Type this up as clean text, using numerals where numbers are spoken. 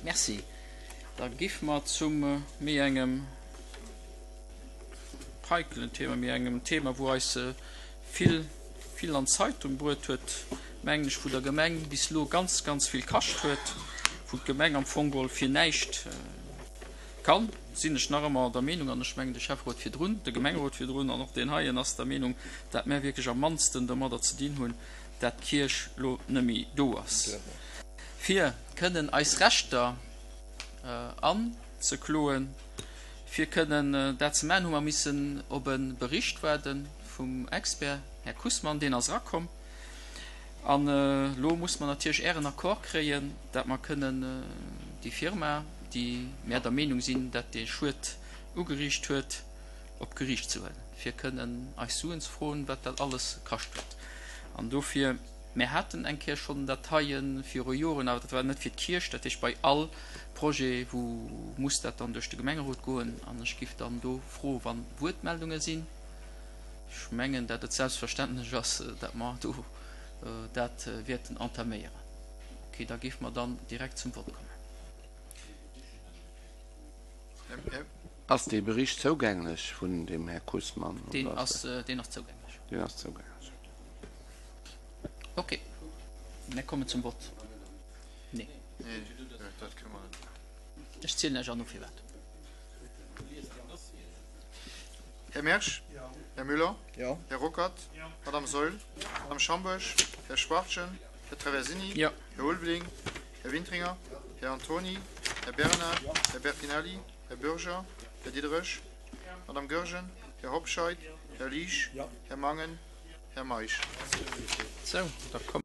Merci. Da giff mer zum méi engem heikelen Thema, méi engem Thema, wou eis vill, vill an d'Zeitung bruet huet, mengen ech, wou der Gemeng bis elo ganz, ganz vill kascht huet, wou d'Gemeng am Fong geholl fir näischt kann, sinn ech nach ëmmer der Meenung, an ech mengen de Schäfferot virdrun, de Gemengerot virdrun an och deen heien ass der Meenung, dat mär wierklech am mannsten domadder ze dinn hunn, dat d'Kierch lo nëmmi do ass, fir kënnen eis Rechter anzekloen. Fir kënnen dat ze maachen, hu mer missen op e Bericht waarde vum Expert, Här Kussmann. Deen ass erakomm. An elo muss mer natierlech Ären Accord kréien, dat mer kënnen déi Firma, déi mär der Meenung sinn, dat dee Schued ugeriicht huet, op d'Geriicht ze huelen, fir kënnen eis Suen ze froen, wat dat alles kascht huet. An dofir, mär haten eng Kéier schonn dat heie viru Joren, awer dat war net fir d'Kierch, dat heescht bei all Projet, wou muss dat dann duerch de Gemengerot goen. An ech giff dann do froen, wa Wuertmeldunge sinn, ech mengen, dat et selbstverständlech ass, dat mer do dat wäerten entaméieren. Ok, da géife mer dann direkt zum Vott kommen. Ass dee Bericht zougänglech vun dem Här Kussmann? Deen ass, deen ass zougänglech. Deen ass zougänglech. Ok, mir kommen zum Vott. Nee. Ech zielen lech an no firwat. Här Mersch? Här Müller? Här Ruckert? Madame Saeul? Madame Schambourg? Här Schwachtgen? Här Traversini? Här Ulveling? Här Wintringer? Här Antoni? Här Bernard? Här Bertinelli? Här Bürger? Här Diderich? Madame Goergen? Här Hobscheit? Här Liesch? Här Mangen? Här Meisch? Sou, da komme.